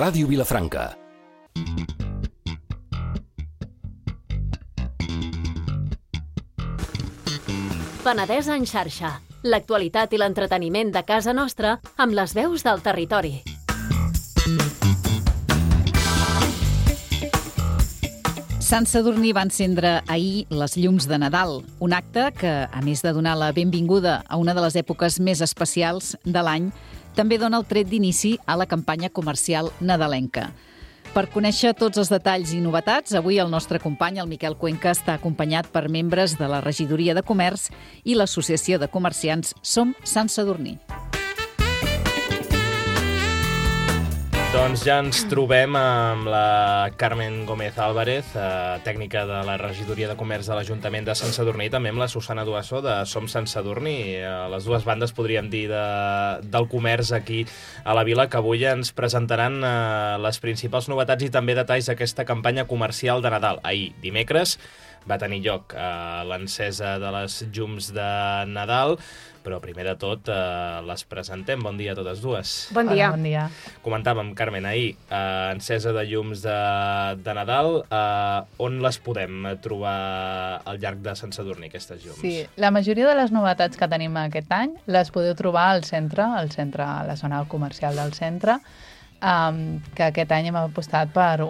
Ràdio Vilafranca. Penedès en xarxa. L'actualitat i l'entreteniment de casa nostra amb les veus del territori. Sant Sadurní va encendre ahir les llums de Nadal, un acte que, a més de donar la benvinguda a una de les èpoques més especials de l'any, també dona el tret d'inici a la campanya comercial nadalenca. Per conèixer tots els detalls i novetats, avui el nostre company, el Miquel Cuenca, està acompanyat per membres de la Regidoria de Comerç i l'Associació de Comerciants Som Sant Sadurní. Doncs ja ens trobem amb la Carmen Gómez Álvarez, tècnica de la Regidoria de Comerç de l'Ajuntament de Sant Sadurní, i també amb la Susana Duasso de Som Sant Sadurní, les dues bandes, podríem dir, del comerç aquí a la vila, que avui ens presentaran les principals novetats i també detalls d'aquesta campanya comercial de Nadal. Ahir, dimecres, va tenir lloc l'encesa de les llums de Nadal, però primer de tot les presentem. Bon dia a totes dues. Bon dia. Hola, bon dia. Comentàvem, Carmen, ahir, encesa de llums de Nadal. On les podem trobar al llarg de Sant Sadurní, aquestes llums? Sí, la majoria de les novetats que tenim aquest any les podeu trobar al centre, a la zona comercial del centre, que aquest any hem apostat per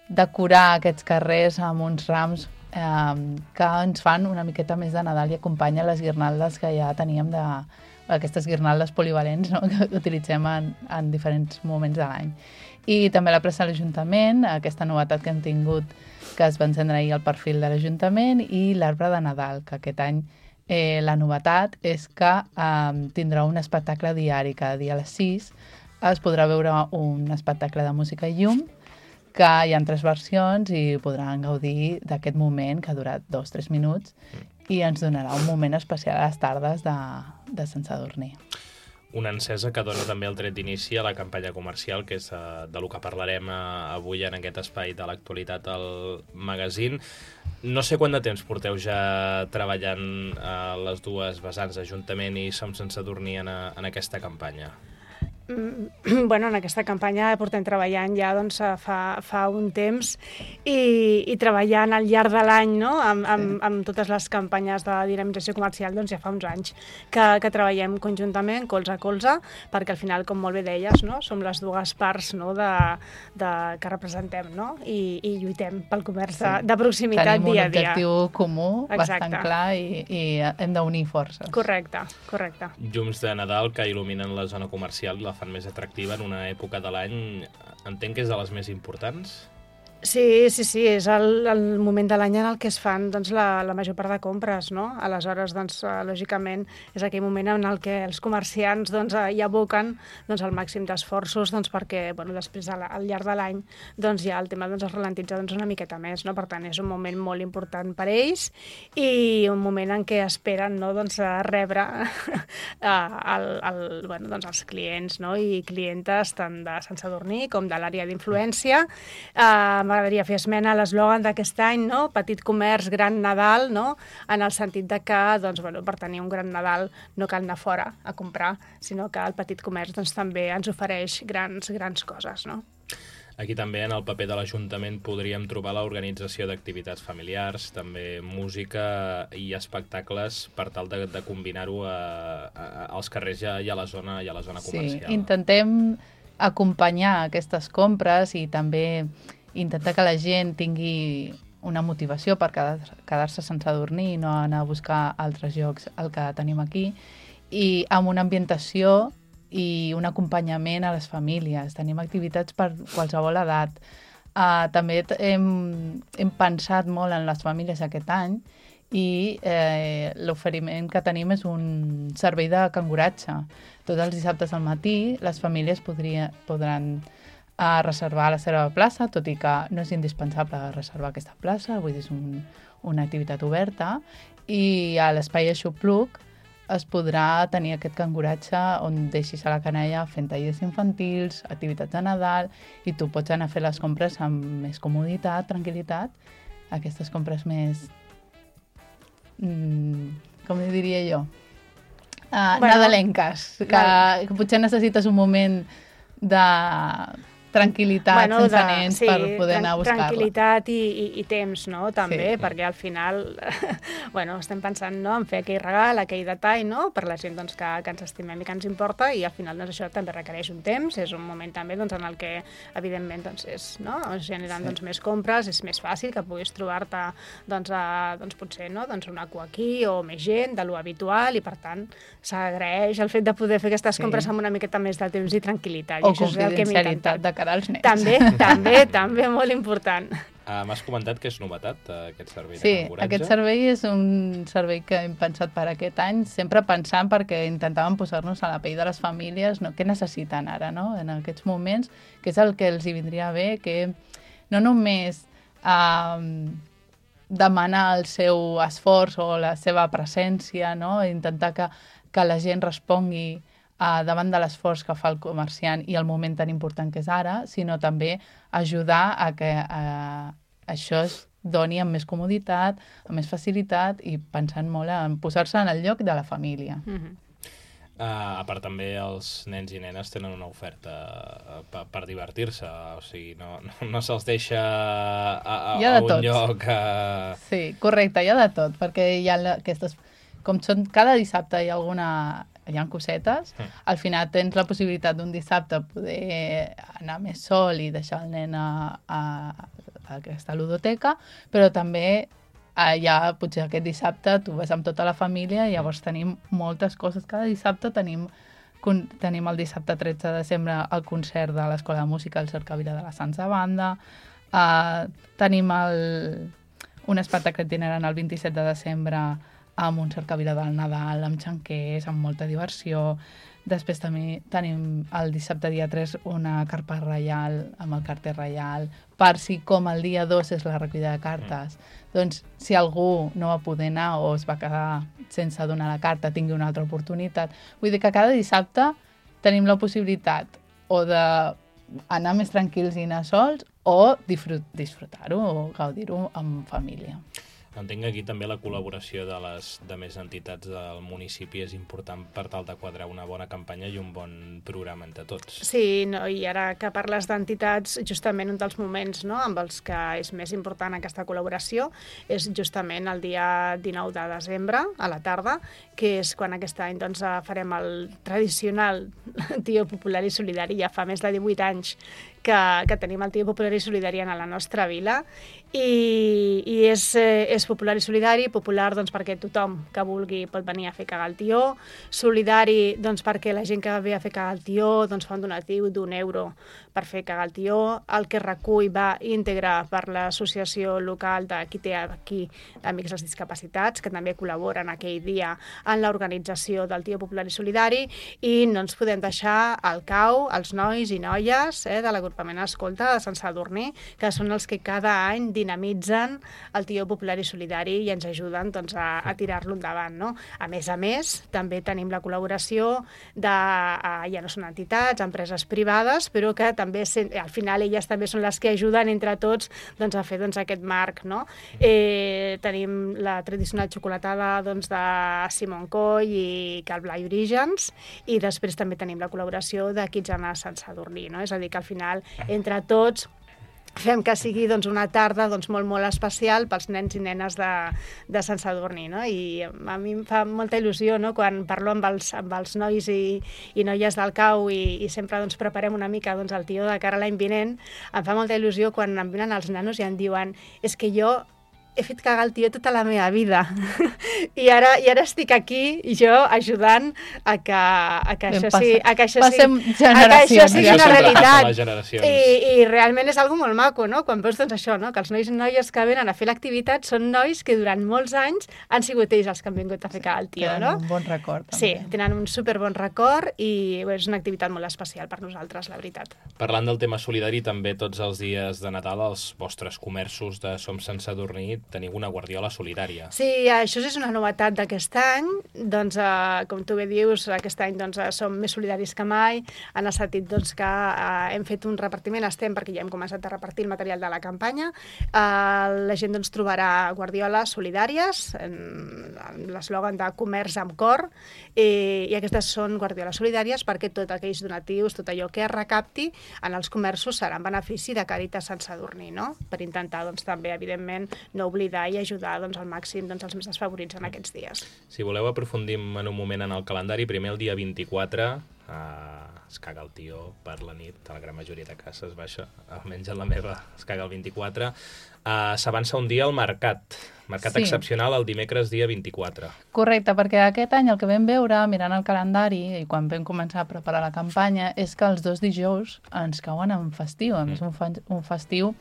decorar aquests carrers amb uns rams que ens fan una miqueta més de Nadal i acompanyen les guirnaldes que ja teníem aquestes guirnaldes polivalents, no?, que utilitzem en diferents moments de l'any. I també la plaça de l'Ajuntament, aquesta novetat que hem tingut, que es va encendre ahir al perfil de l'Ajuntament, i l'arbre de Nadal, que aquest any la novetat és que tindrà un espectacle diari. Cada dia a les 6 es podrà veure un espectacle de música i llum, que hi ha 3 versions i podran gaudir d'aquest moment que ha durat 2-3 minuts i ens donarà un moment especial a les tardes de Sant Sadurní. Una encesa que dona també el tret d'inici a la campanya comercial, que és de lo que parlarem avui en aquest espai de l'actualitat al magazín. No sé quant de temps porteu ja treballant les dues vessants, Ajuntament i Som Sant Sadurní, en aquesta campanya. Bueno, en aquesta campanya portem treballant ja doncs, fa un temps i treballant al llarg de l'any, no?, amb totes les campanyes de dinamització comercial, doncs ja fa uns anys que treballem conjuntament, colze a colze, perquè al final, com molt bé deies, no?, som les dues parts, no?, que representem, no?, i lluitem pel comerç de proximitat dia a dia. Tenim un objectiu comú, Exacte. bastant clar, i hem d'unir forces. Correcte. Llums de Nadal que il·luminen la zona comercial i la fan més atractiva en una època de l'any. Entenc que és de les més importants? Sí, és el moment de l'any en el que es fan doncs, la major part de compres, no? Aleshores, doncs, lògicament, és aquell moment en el que els comerciants doncs, hi aboquen doncs, el màxim d'esforços doncs, perquè després, al llarg de l'any, doncs, ja el tema doncs, es ralentitza doncs, una miqueta més. No? Per tant, és un moment molt important per ells i un moment en què esperen, no, doncs, rebre doncs, els clients, no? I clientes tant de Sant Sadurní com de l'àrea d'influència. M'agradaria fer esmena a l'eslògan d'aquest any, no? Petit comerç, gran Nadal, no? En el sentit de que doncs, per tenir un gran Nadal no cal anar fora a comprar, sinó que el petit comerç doncs, també ens ofereix grans coses. No? Aquí també en el paper de l'Ajuntament podríem trobar l'organització d'activitats familiars, també música i espectacles per tal de combinar-ho als carrers i a la zona comercial. Sí, intentem acompanyar aquestes compres i també intentar que la gent tingui una motivació per quedar-se a Sant Sadurní i no anar a buscar altres llocs el que tenim aquí, i amb una ambientació i un acompanyament a les famílies. Tenim activitats per qualsevol edat. També hem pensat molt en les famílies aquest any i l'oferiment que tenim és un servei de canguratge. Tots els dissabtes al matí les famílies podran reservar la seva plaça, tot i que no és indispensable reservar aquesta plaça, vull dir, és una activitat oberta, i a l'espai Aixopluc es podrà tenir aquest canguratge on deixis a la canalla fent tallers infantils, activitats de Nadal, i tu pots anar a fer les compres amb més comoditat, tranquil·litat, aquestes compres més, com diria jo, nadalenques, que potser necessites un moment de tranquil·litat sense nens per poder anar a buscar-la. Tranquil·litat i temps, no? També, Sí. perquè al final estem pensant, no?, en fer aquell regal, aquell detall, no?, per la gent doncs, que ens estimem i que ens importa, i al final doncs, això també requereix un temps, és un moment també doncs, en el que evidentment doncs, es generen doncs, més compres, és més fàcil que puguis trobar-te potser una cua aquí o més gent de lo habitual, i per tant s'agraeix el fet de poder fer aquestes compres amb una miqueta més de temps i tranquil·litat. O i això és el que hem confidencialitat intentat. de cara als nens. També, molt important. M'has comentat que és novetat, aquest servei de Sí, canguratge? aquest servei és un servei que hem pensat per aquest any, sempre pensant perquè intentàvem posar-nos a la pell de les famílies, no? Què necessiten ara, no?, en aquests moments, que és el que els hi vindria bé, que no només demanar el seu esforç o la seva presència, no?, intentar que la gent respongui davant de l'esforç que fa el comerciant i el moment tan important que és ara, sinó també ajudar a que això es doni amb més comoditat, amb més facilitat i pensant molt en posar-se en el lloc de la família. A part també els nens i nenes tenen una oferta per divertir-se, o sigui, no se'ls deixa a un lloc... Sí, correcte, hi ha de tot, perquè hi ha aquestes... Com són cada dissabte hi ha cosetes, al final tens la possibilitat d'un dissabte poder anar més sol i deixar el nen a aquesta ludoteca, però també potser aquest dissabte tu vas amb tota la família i llavors tenim moltes coses. Cada dissabte tenim el dissabte 13 de desembre el concert de l'Escola de Música al Cercavila de la Sansa Banda, tenim un espectacle itinerant el 27 de desembre amb un cercavila del Nadal, amb xanquers, amb molta diversió. Després també tenim el dissabte dia 3 una carpa reial amb el carter reial, per si com el dia 2 és la recollida de cartes, doncs si algú no va poder anar o es va quedar sense donar la carta, tingui una altra oportunitat. Vull dir que cada dissabte tenim la possibilitat o d'anar més tranquils i anar sols o disfrutar-ho o gaudir-ho amb família. Entenc que aquí també la col·laboració de més entitats del municipi és important per tal de quadrar una bona campanya i un bon programa entre tots. Sí, i ara que parles d'entitats, justament un dels moments amb els que és més important aquesta col·laboració és justament el dia 19 de desembre, a la tarda, que és quan aquest any farem el tradicional Tio Popular i Solidari. Ja fa més de 18 anys que tenim el Tio Popular i Solidari a la nostra vila, i és popular i solidari, popular perquè tothom que vulgui pot venir a fer cagar el tió, solidari perquè la gent que ve a fer cagar el tió fa un donatiu d'€1 per fer cagar el tió, el que recull va íntegre per l'associació local de qui té aquí Amics dels Discapacitats, que també col·laboren aquell dia en l'organització del Tio Popular i Solidari, i no ens podem deixar al cau els nois i noies de l'agrupament Escolta de Sant Sadurní, que són els que cada any dinamitzen el Tio Popular i Solidari i ens ajuden a tirar-lo endavant, no? A més, també tenim la col·laboració ja no són entitats, empreses privades, però que també al final elles també són les que ajuden entre tots a fer aquest marc, no? Tenim la tradicional xocolatada de Simon Coll i Cal Blai Orígens, i després també tenim la col·laboració de Kidzana Sant Sadurní, no? És a dir, que al final entre tots fem que sigui una tarda molt especial pels nens i nenes de Sant Sadurní, no? I a mi em fa molta il·lusió, no?, quan parlo amb els nois i noies del cau i sempre preparem una mica el tió de cara a l'any vinent. Em fa molta il·lusió quan em venen els nanos i em diuen és que jo he fet cagar el tió tota la meva vida i ara estic aquí jo ajudant a que això sigui una realitat, i realment és algo molt maco, no? Quan veus això, no? Que els nois i noies que venen a fer l'activitat són nois que durant molts anys han sigut ells els que han vingut a fer cagar el tió, no? Tenen un bon record, també. Sí, tenen un superbon record i és una activitat molt especial per nosaltres, la veritat. Parlant del tema solidari, també tots els dies de Nadal els vostres comerços de Som Sant Sadurní teniu una guardiola solidària. Sí, això és una novetat d'aquest any. Doncs, com tu bé dius, aquest any doncs, som més solidaris que mai, en el sentit doncs, que hem fet un repartiment, perquè ja hem començat a repartir el material de la campanya. La gent doncs, trobarà guardioles solidàries, l'eslògan de comerç amb cor, i aquestes són guardioles solidàries perquè tots aquells donatius, tot allò que es recapti en els comerços serà en benefici de Càritas Sant Sadurní, no? Per intentar doncs, també, evidentment, no oblidar i ajudar doncs, al màxim doncs, els més desfavorits en aquests dies. Si voleu aprofundim en un moment en el calendari, primer el dia 24 es caga el tio per la nit, a la gran majoria de cases, almenys en la meva es caga el 24. S'avança un dia al mercat excepcional el dimecres dia 24. Correcte, perquè aquest any el que vam veure, mirant el calendari i quan vam començar a preparar la campanya, és que els 2 dijous ens cauen en festiu, a més un festiu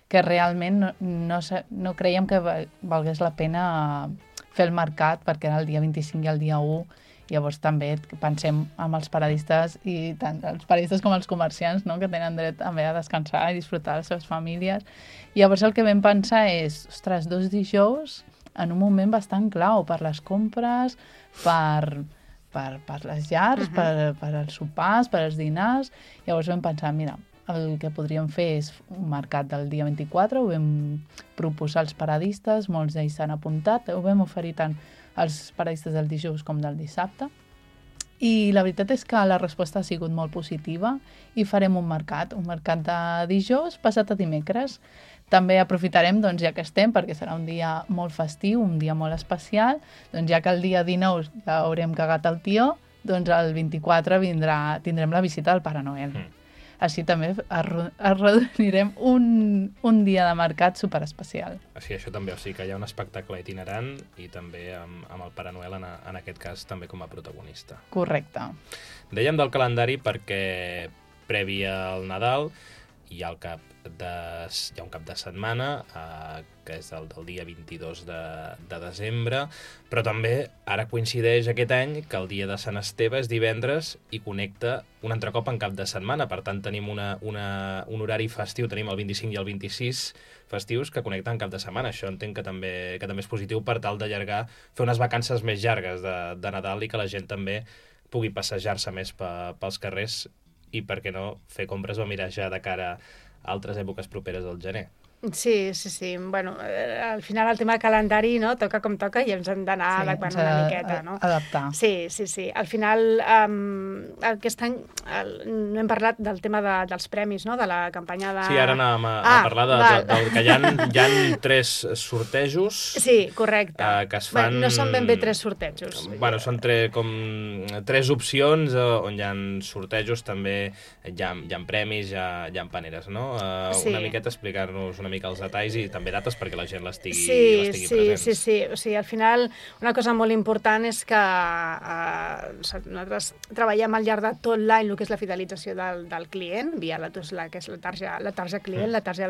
que realment no creiem que valgués la pena fer el mercat perquè era el dia 25 i el dia 1. Llavors també pensem en els paradistes i tant els paradistes com els comerciants, no? Que tenen dret també a descansar i disfrutar de les seves famílies. Llavors el que vam pensar és, ostres, 2 dijous en un moment bastant clau per les compres, per les llars, per els sopars, per els dinars. Llavors vam pensar, mira, el que podríem fer és un mercat del dia 24, ho vam proposar als paradistes, molts d'ells s'han apuntat, ho vam oferir tant als paradistes del dijous com del dissabte. I la veritat és que la resposta ha sigut molt positiva i farem un mercat de dijous passat a dimecres. També aprofitarem, doncs, ja que estem, perquè serà un dia molt festiu, un dia molt especial, doncs ja que el dia 19 ja haurem cagat el tió, doncs el 24 tindrem la visita del Pare Noel. Així també arrodonirem un dia de mercat superespecial. Sí, això també, o sigui que hi ha un espectacle itinerant i també amb el Pare Noel, en aquest cas, també com a protagonista. Correcte. Dèiem del calendari perquè previ al Nadal hi ha un cap de setmana, que és el del dia 22 de desembre, però també ara coincideix aquest any que el dia de Sant Esteve és divendres i connecta un altre cop en cap de setmana. Per tant, tenim un horari festiu, tenim el 25 i el 26 festius que connecten cap de setmana. Això entenc que també és positiu per tal d'allargar, fer unes vacances més llargues de Nadal i que la gent també pugui passejar-se més pels carrers i, per què no, fer compres o mirar ja de cara a altres èpoques properes al gener. Sí. Bueno, al final el tema calendari, no, toca com toca i ens hem d'anar adequant una miqueta, no? Adaptar. Sí. Al final, aquest any no hem parlat del tema dels premis, no?, de la campanya de... Sí, ara anàvem a parlar que hi ha 3 sortejos... Sí, correcte. Que es fan... No són ben bé 3 sortejos. Bueno, són 3 opcions on hi ha sortejos, també hi ha premis, hi ha paneres, no? Una miqueta explicar-nos una mica els detalls i també dates perquè la gent l'estigui present. Sí. O sigui, al final, una cosa molt important és que nosaltres treballem al llarg de tot l'any el que és la fidelització del client, via la tarja client, la tarja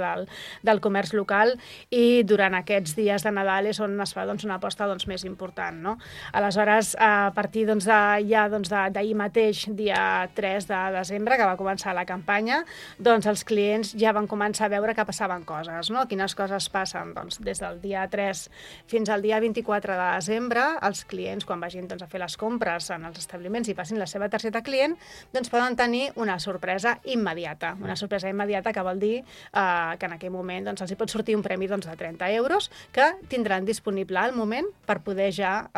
del comerç local, i durant aquests dies de Nadal és on es fa una aposta més important, no? Aleshores, a partir d'ahir mateix, dia 3 de desembre, que va començar la campanya, doncs els clients ja van començar a veure que passaven coses, no? Quines coses passen? Doncs des del dia 3 fins al dia 24 de desembre, els clients, quan vagin a fer les compres en els establiments i passin la seva targeta client, doncs poden tenir una sorpresa immediata. Una sorpresa immediata que vol dir que en aquell moment els hi pot sortir un premi de 30 euros que tindran disponible al moment per poder ja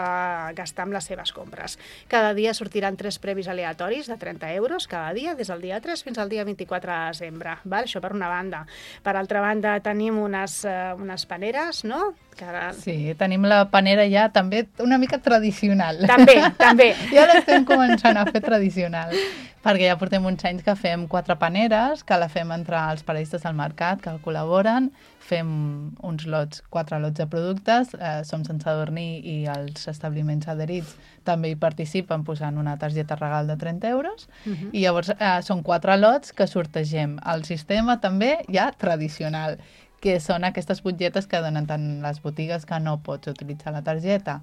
gastar amb les seves compres. Cada dia sortiran 3 premis aleatoris de 30 euros cada dia, des del dia 3 fins al dia 24 de desembre. Això per una banda. Per altra banda, tenim unes paneres, no? Sí, tenim la panera ja també una mica tradicional. També. Ja l'estem començant a fer tradicional, perquè ja portem uns anys que fem 4 paneres, que la fem entre els paradistes del mercat, que col·laboren, fem uns 4 lots de productes, Som Sant Sadurní i els establiments adherits també hi participen posant una targeta regal de 30 euros, i llavors són 4 lots que sortegem. El sistema també ja tradicional, que són aquestes butlletes que donen tant les botigues que no pots utilitzar la targeta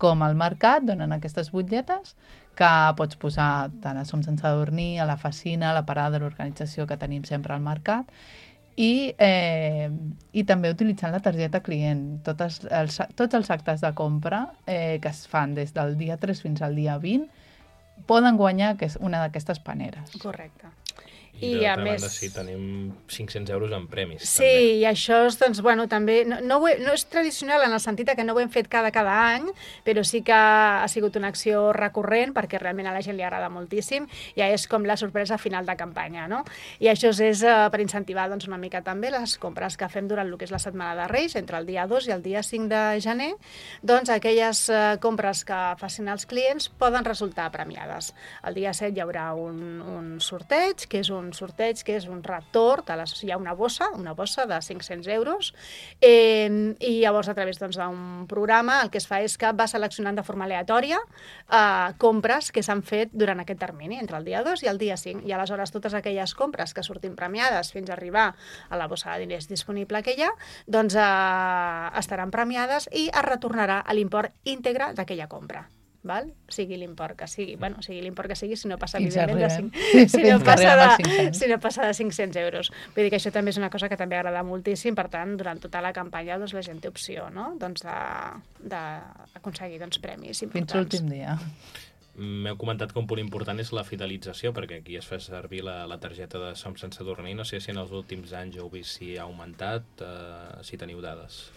com al mercat, donen aquestes butlletes que pots posar tant a Som Sant Sadurní, a la Facina, a la parada de l'organització que tenim sempre al mercat, I també utilitzant la targeta client. Tots els actes de compra que es fan des del dia 3 fins al dia 20 poden guanyar una d'aquestes paneres. Correcte. I d'altra banda, sí, tenim 500 euros en premis. Sí, també. I això és, doncs, bueno, també, no és tradicional en el sentit que no ho hem fet cada any, però sí que ha sigut una acció recurrent perquè realment a la gent li agrada moltíssim. Ja és com la sorpresa final de campanya, no? I això és per incentivar doncs, una mica també les compres que fem durant el que és la Setmana de Reis, entre el dia 2 i el dia 5 de gener, doncs aquelles compres que facin els clients poden resultar premiades. El dia 7 hi haurà un sorteig, que és un retorn, hi ha una bossa de 500 euros, i llavors a través d'un programa el que es fa és que va seleccionant de forma aleatòria compres que s'han fet durant aquest termini, entre el dia 2 i el dia 5, i aleshores totes aquelles compres que surtin premiades fins a arribar a la bossa de diners disponible que hi ha, doncs estaran premiades i es retornarà a l'import íntegre d'aquella compra. Val? Sigui l'import que sigui, si no passa evidentment si no passa de 500 euros. Vull dir que això també és una cosa que també agrada moltíssim, per tant, durant tota la campanya doncs, la gent té opció, no? doncs, d'aconseguir premis importants. Fins l'últim dia. M'heu comentat que un punt important és la fidelització, perquè aquí es fa servir la targeta de Som Sense Dormir. No sé si en els últims anys heu vist si ha augmentat, si teniu dades.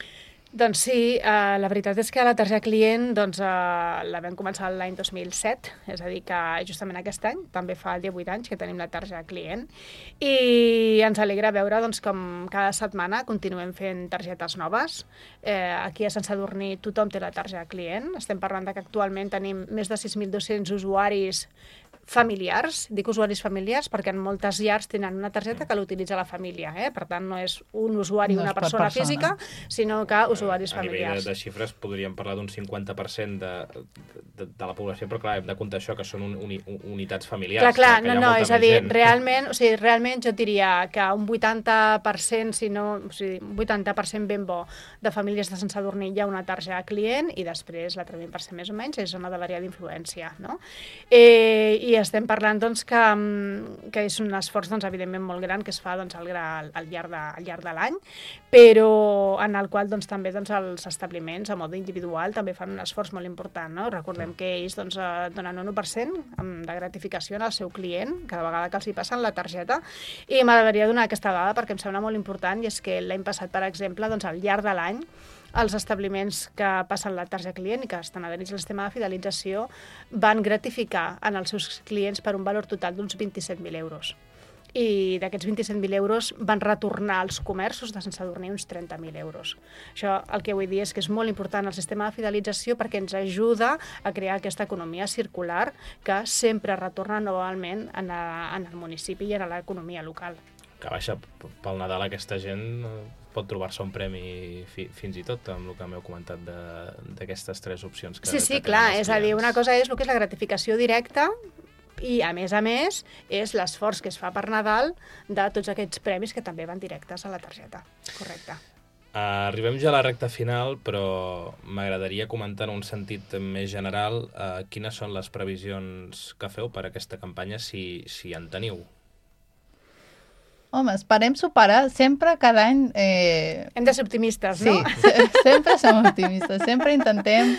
Doncs sí, la veritat és que la targeta client la vam començar l'any 2007, és a dir, que justament aquest any, també fa 18 anys que tenim la targeta client, i ens alegra veure com cada setmana continuem fent targetes noves. Aquí a Sant Sadurní tothom té la targeta client, estem parlant que actualment tenim més de 6.200 usuaris familiars, dic usuaris familiars perquè en moltes llars tenen una targeta que l'utilitza la família, per tant no és un usuari, una persona física, sinó que usuaris familiars. A nivell de xifres podríem parlar d'un 50% de la població, però clar, hem de comptar això, que són unitats familiars. Clar, és a dir, realment jo diria que un 80%, un 80% ben bo de famílies de Sant Sadurní hi ha una targeta client i després l'altre 20% més o menys és zona de l'àrea d'influència, no? I estem parlant que és un esforç evidentment molt gran que es fa al llarg de l'any, però en el qual també els establiments a mode individual també fan un esforç molt important, no? Recordem que ells donen un 1% de gratificació al seu client cada vegada que els hi passen la targeta, i m'agradaria donar aquesta dada perquè em sembla molt important, i és que l'any passat, per exemple, al llarg de l'any, els establiments que passen la targeta client i que estan adherits al sistema de fidelització van gratificar en els seus clients per un valor total d'uns 27.000 euros. I d'aquests 27.000 euros van retornar als comerços de Sant Sadurní uns 30.000 euros. Això el que vull dir és que és molt important el sistema de fidelització perquè ens ajuda a crear aquesta economia circular que sempre retorna novament en el municipi i en l'economia local. Que baixa pel Nadal aquesta gent pot trobar-se un premi fins i tot amb el que m'heu comentat d'aquestes tres opcions. Sí, clar, és a dir, una cosa és el que és la gratificació directa i, a més, és l'esforç que es fa per Nadal de tots aquests premis que també van directes a la targeta. Correcte. Arribem ja a la recta final, però m'agradaria comentar en un sentit més general quines són les previsions que feu per a aquesta campanya, si en teniu. Home, esperem superar sempre cada any... Hem de ser optimistes, no? Sí, sempre som optimistes. Sempre intentem,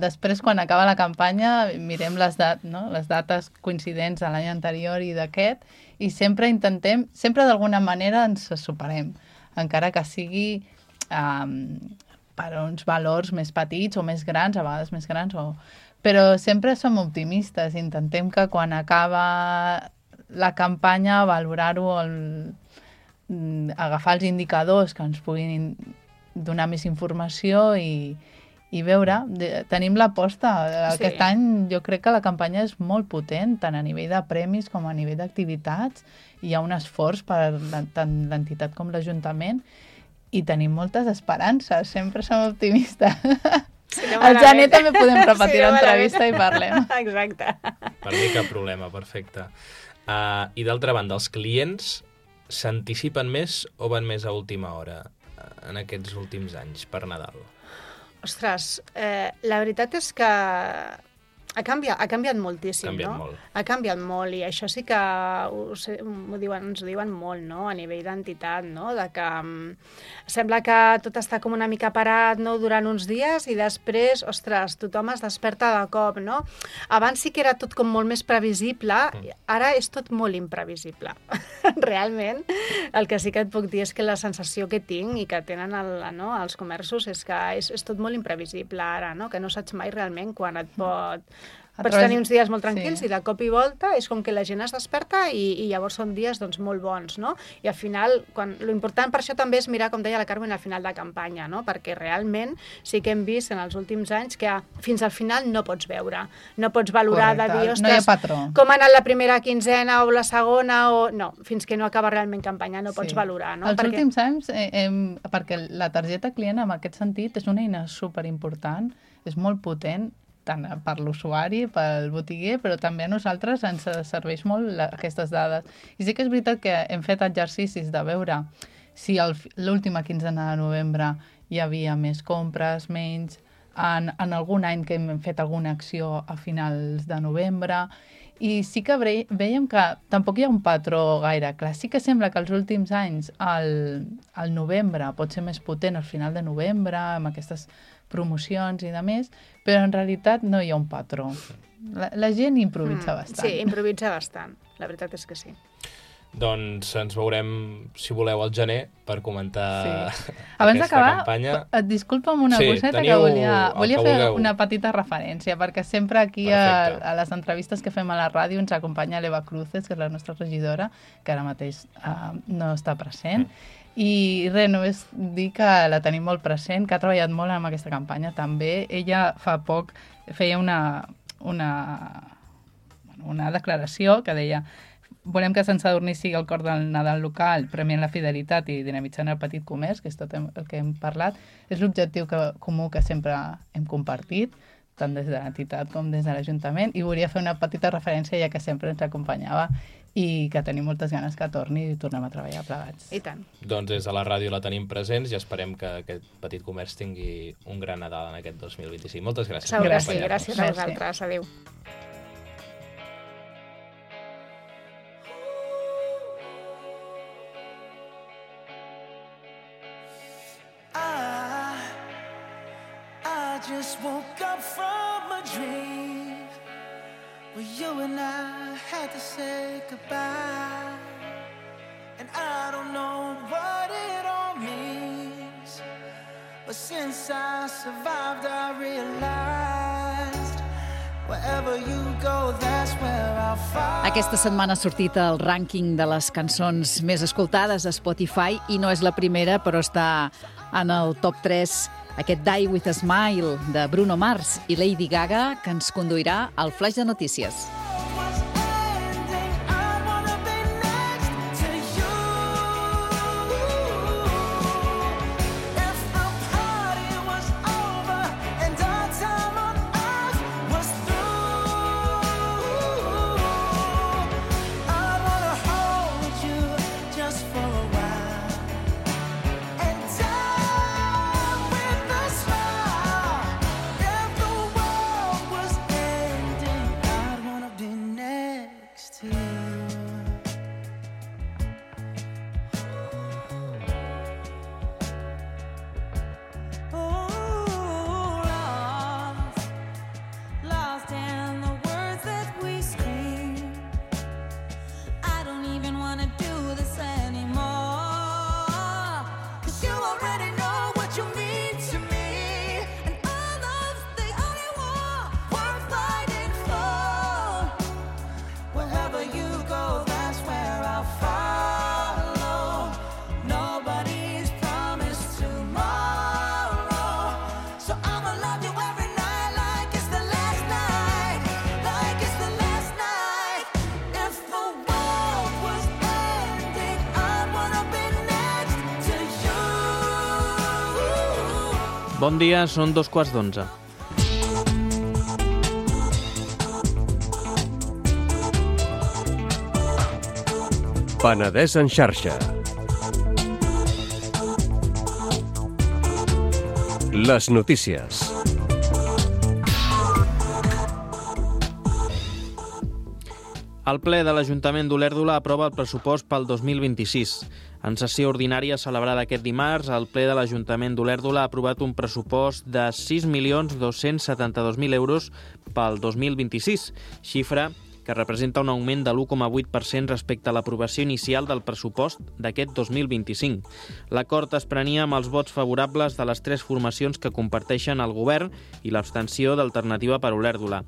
després, quan acaba la campanya, mirem les dates coincidents de l'any anterior i d'aquest, i sempre intentem, sempre d'alguna manera ens superem, encara que sigui per uns valors més petits o més grans, a vegades més grans, però sempre som optimistes. Intentem que quan acaba la campanya, valorar-ho, agafar els indicadors que ens puguin donar més informació i veure. Tenim l'aposta. Aquest any jo crec que la campanya és molt potent, tant a nivell de premis com a nivell d'activitats. Hi ha un esforç per tant l'entitat com l'Ajuntament i tenim moltes esperances. Sempre som optimistes. Al gener també podem repetir l'entrevista i parlem. Exacte. Per mi cap problema, perfecte. I d'altra banda, els clients s'anticipen més o van més a última hora en aquests últims anys per Nadal? Ostres, la veritat és que ha canviat moltíssim, no? Ha canviat molt, i això sí que ens ho diuen molt, no? A nivell d'entitat, no? De que sembla que tot està com una mica parat, no? Durant uns dies, i després, ostres, tothom es desperta de cop, no? Abans sí que era tot com molt més previsible, ara és tot molt imprevisible. Realment, el que sí que et puc dir és que la sensació que tinc i que tenen els comerços és que és tot molt imprevisible ara, no? Que no saps mai realment quan et pots tenir uns dies molt tranquils, i de cop i volta és com que la gent es desperta i llavors són dies doncs, molt bons, no? I al final, l'important per això també és mirar, com deia la Carmen, al final de campanya, no? Perquè realment sí que hem vist en els últims anys que fins al final no pots veure, no pots valorar de dir, ostres, com ha anat la primera quinzena o la segona, o no, fins que no acaba realment campanya no pots valorar, no? Els últims anys, perquè la targeta client en aquest sentit és una eina superimportant, és molt potent, tant per l'usuari, pel botiguer, però també a nosaltres ens serveix molt aquestes dades. I sí que és veritat que hem fet exercicis de veure si l'última quinzena de novembre hi havia més compres, menys, en algun any que hem fet alguna acció a finals de novembre, i sí que veiem que tampoc hi ha un patró gaire clar. Sí que sembla que els últims anys el novembre pot ser més potent al final de novembre, amb aquestes promocions i de més, però en realitat no hi ha un patró. La gent improvisa bastant. Sí, improvisa bastant. La veritat és que sí. Doncs ens veurem, si voleu, al gener per comentar Abans aquesta campanya. Et disculpa'm una coseta que volia fer una petita referència, perquè sempre aquí a les entrevistes que fem a la ràdio ens acompanya l'Eva Cruces, que és la nostra regidora, que ara mateix no està present. I res, només dir que la tenim molt present, que ha treballat molt en aquesta campanya també. Ella fa poc feia una declaració que deia: volem que Sant Sadurní sigui el cor del Nadal local, premiant la fidelitat i dinamitzant el petit comerç, que és tot el que hem parlat. És l'objectiu comú que sempre hem compartit, tant des de l'entitat com des de l'Ajuntament, i volia fer una petita referència, ja que sempre ens acompanyava, i que tenim moltes ganes que torni i tornem a treballar plegats. I tant. Doncs des de la ràdio la tenim presents i esperem que aquest petit comerç tingui un gran Nadal en aquest 2025. Moltes gràcies. Segur que sí, gràcies a vosaltres. Adéu. I just woke up from a dream where you and I had to say goodbye, and I don't know what it all means, but since I survived I realized wherever you go that's where I'll find. Aquesta setmana ha sortit el rànquing de les cançons més escoltades a Spotify i no és la primera, però està en el top 3 aquest Die With a Smile de Bruno Mars i Lady Gaga, que ens conduirà al flaix de notícies. Bon dia, són 2:15. Penedès en xarxa. Les notícies. El ple de l'Ajuntament d'Olèrdola aprova el pressupost pel 2026. En sessió ordinària celebrada aquest dimarts, el ple de l'Ajuntament d'Olèrdola ha aprovat un pressupost de 6.272.000 euros pel 2026, xifra que representa un augment de l'1,8% respecte a l'aprovació inicial del pressupost d'aquest 2025. L'acord es prenia amb els vots favorables de les tres formacions que comparteixen el govern i l'abstenció d'Alternativa per Olèrdola.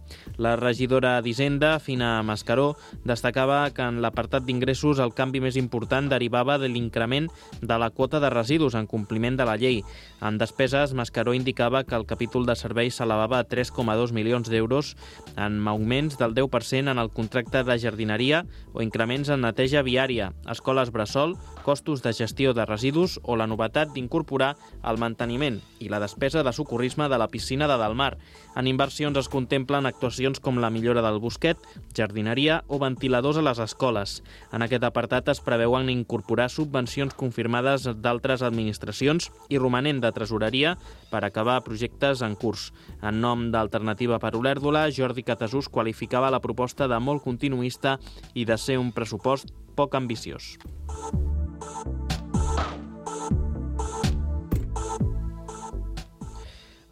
La regidora d'Hisenda, Fina Mascaró, destacava que en l'apartat d'ingressos el canvi més important derivava de l'increment de la quota de residus en compliment de la llei. En despeses, Mascaró indicava que el capítol de serveis s'elevava a 3,2 milions d'euros en augments del 10% en el contracte de jardineria o increments en neteja viària, escoles bressol, costos de gestió de residus o la novetat d'incorporar el manteniment i la despesa de socorrisme de la piscina de Dalmar. En inversions es contemplen actuacions com la millora del bosquet, jardineria o ventiladors a les escoles. En aquest apartat es preveuen incorporar subvencions confirmades d'altres administracions i romanent de tresoreria per acabar projectes en curs. En nom d'Alternativa per Olèrdola, Jordi Catasús qualificava la proposta de molt continuista i de ser un pressupost poc ambiciós.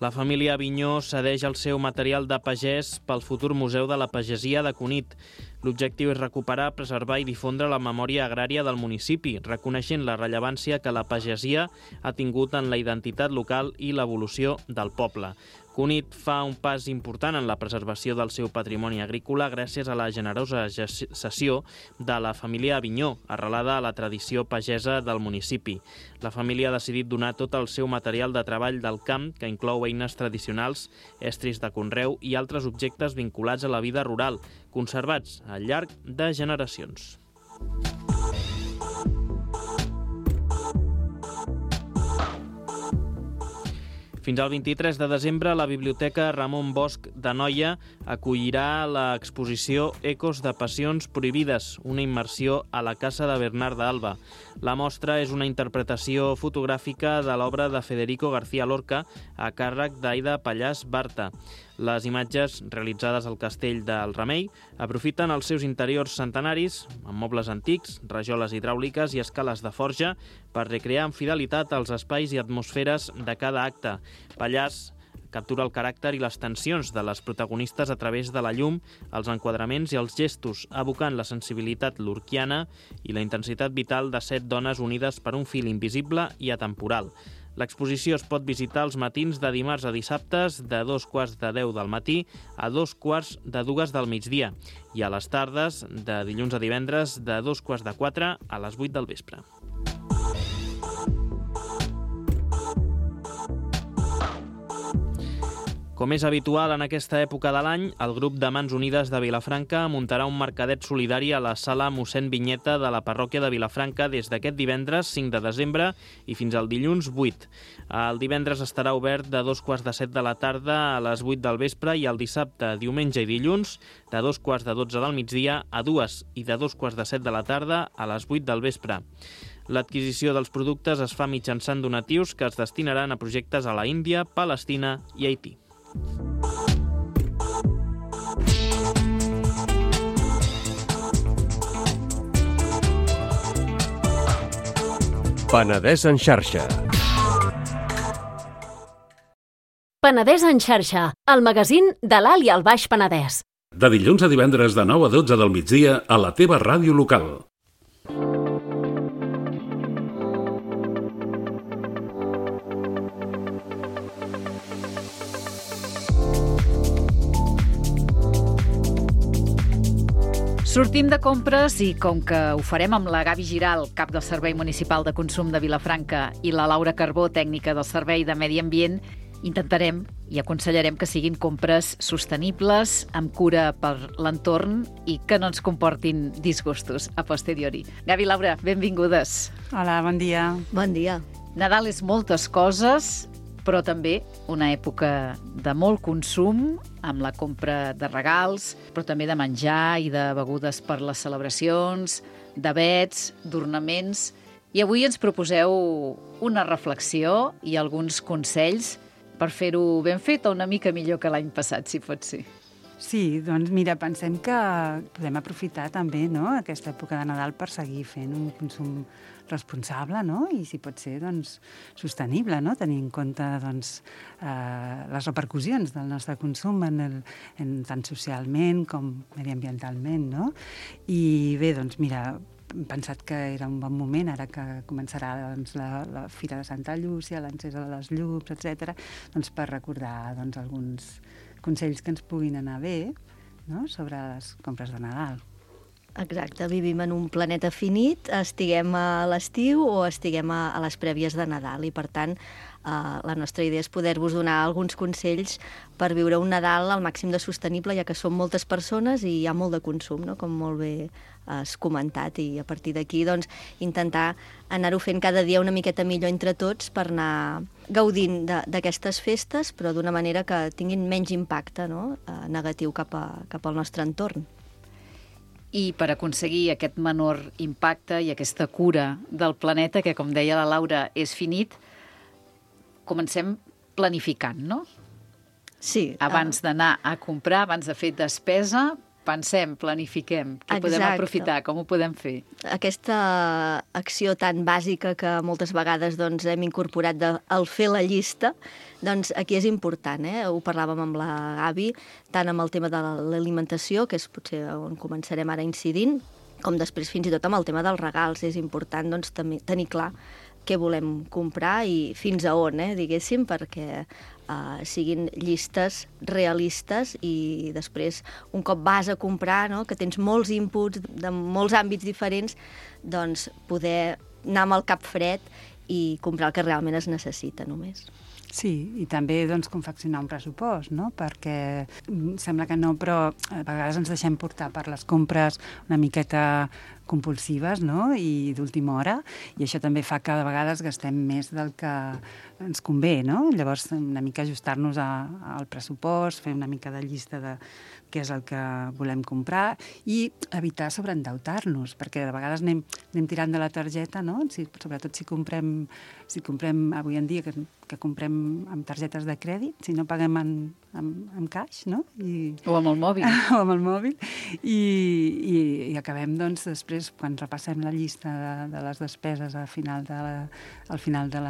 La família Avinyó cedeix el seu material de pagès pel futur Museu de la Pagesia de Cunit. L'objectiu és recuperar, preservar i difondre la memòria agrària del municipi, reconeixent la rellevància que la pagesia ha tingut en la identitat local i l'evolució del poble. Cunit fa un pas important en la preservació del seu patrimoni agrícola gràcies a la generosa cessió de la família Avinyó, arrelada a la tradició pagesa del municipi. La família ha decidit donar tot el seu material de treball del camp, que inclou eines tradicionals, estris de conreu i altres objectes vinculats a la vida rural, conservats al llarg de generacions. Fins al 23 de desembre, la Biblioteca Ramon Bosch de Noia acollirà l'exposició Ecos de Passions Prohibides, una immersió a la casa de Bernard d'Alba. La mostra és una interpretació fotogràfica de l'obra de Federico García Lorca a càrrec d'Aida Pallàs Barta. Les imatges, realitzades al castell del Remei, aprofiten els seus interiors centenaris, amb mobles antics, rajoles hidràuliques i escales de forja, per recrear amb fidelitat els espais i atmosferes de cada acte. Pallàs captura el caràcter i les tensions de les protagonistes a través de la llum, els enquadraments i els gestos, evocant la sensibilitat lorquiana i la intensitat vital de 7 dones unides per un fil invisible i atemporal. L'exposició es pot visitar els matins de dimarts a dissabtes de 2:15 del matí a 2:45 del migdia i a les tardes de dilluns a divendres de 3:45 a les 8 del vespre. Com és habitual en aquesta època de l'any, el grup de Mans Unides de Vilafranca muntarà un mercadet solidari a la sala Mossèn Vinyeta de la parròquia de Vilafranca des d'aquest divendres 5 de desembre i fins al dilluns 8. El divendres estarà obert de 2:15 de la tarda a les 8 del vespre i el dissabte, diumenge i dilluns de 2:15 del migdia a 2 i de 2:15 de la tarda a les 8 del vespre. L'adquisició dels productes es fa mitjançant donatius que es destinaran a projectes a la Índia, Palestina i Haití. Penedès en xarxa. Penedès en xarxa, el magazín de l'Alt i el Baix Penedès. De dilluns a divendres de 9 a 12 del migdia a la teva ràdio local. Sortim de compres i, com que ho farem amb la Gavi Giral, cap del Servei Municipal de Consum de Vilafranca, i la Laura Carbó, tècnica del Servei de Medi Ambient, intentarem i aconsellarem que siguin compres sostenibles, amb cura per l'entorn i que no ens comportin disgustos a posteriori. Gavi, Laura, benvingudes. Hola, bon dia. Bon dia. Nadal és moltes coses, però també una època de molt consum, amb la compra de regals, però també de menjar i de begudes per les celebracions, d'avets, d'ornaments. I avui ens proposeu una reflexió i alguns consells per fer-ho ben fet o una mica millor que l'any passat, si pot ser. Sí, doncs mira, pensem que podem aprofitar també, no?, aquesta època de Nadal per seguir fent un consum responsable, no?, i si pot ser, doncs, sostenible, no?, tenir en compte, doncs, les repercussions del nostre consum tant socialment com mediambientalment, no? I bé, doncs mira, hem pensat que era un bon moment, ara que començarà doncs, la Fira de Santa Llúcia, l'encesa de les llums, etc., doncs, per recordar doncs, alguns consells que ens puguin anar bé, no?, sobre les compres de Nadal. Exacte, vivim en un planeta finit, estiguem a l'estiu o estiguem a les prèvies de Nadal, i per tant la nostra idea és poder-vos donar alguns consells per viure un Nadal al màxim de sostenible, ja que som moltes persones i hi ha molt de consum, no?, com molt bé has comentat, i a partir d'aquí doncs, intentar anar-ho fent cada dia una miqueta millor entre tots per anar gaudint d'aquestes festes, però d'una manera que tinguin menys impacte, no?, negatiu cap al nostre entorn. I per aconseguir aquest menor impacte i aquesta cura del planeta, que com deia la Laura és finit, comencem planificant, no? Sí. Abans d'anar a comprar, abans de fer despesa, pensem, planifiquem, què podem aprofitar, com ho podem fer. Aquesta acció tan bàsica que moltes vegades doncs, hem incorporat al fer la llista, doncs aquí és important, ho parlàvem amb la Gavi, tant amb el tema de l'alimentació, que és potser on començarem ara incidint, com després fins i tot amb el tema dels regals. És important doncs, tenir clar què volem comprar i fins a on, diguéssim, perquè siguin llistes realistes i després, un cop vas a comprar, no?, que tens molts inputs de molts àmbits diferents, doncs poder anar amb el cap fred i comprar el que realment es necessita només. Sí, i també doncs, confeccionar un pressupost, no?, perquè sembla que no, però a vegades ens deixem portar per les compres una miqueta compulsives, no?, i d'última hora, i això també fa que de vegades gastem més del que ens convé, no? Llavors, una mica ajustar-nos al pressupost, fer una mica de llista de què és el que volem comprar i evitar sobreendeutar-nos, perquè de vegades anem tirant de la targeta, no?, sobretot si comprem avui en dia, que comprem amb targetes de crèdit, si no paguem en caix, no? O amb el mòbil. O amb el mòbil. I acabem, doncs, després, quan repassem la llista de les despeses al final de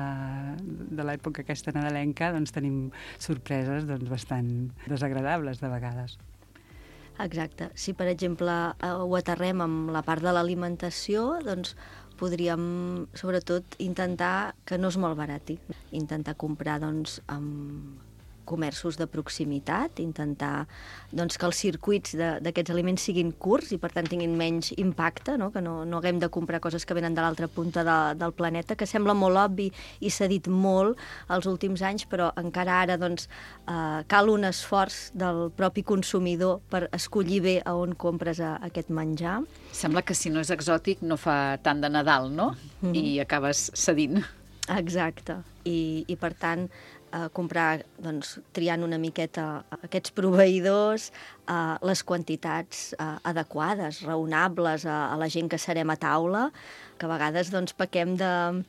l'època aquesta nadalenca, doncs tenim sorpreses doncs, bastant desagradables de vegades. Exacte. Si, per exemple, ho aterrem amb la part de l'alimentació, doncs podríem, sobretot, intentar que no es malbarati. Intentar comprar, doncs, amb comerços de proximitat, intentar doncs, que els circuits d'aquests aliments siguin curts i, per tant, tinguin menys impacte, no? Que no haguem de comprar coses que venen de l'altra punta del planeta, que sembla molt obvi i s'ha dit molt els últims anys, però encara ara doncs, cal un esforç del propi consumidor per escollir bé a on compres aquest menjar. Sembla que si no és exòtic no fa tant de Nadal, no? I acabes cedint. Exacte. I per tant, comprar, doncs, triant una miqueta aquests proveïdors, les quantitats adequades, raonables a la gent que serem a taula, que a vegades doncs, pequem de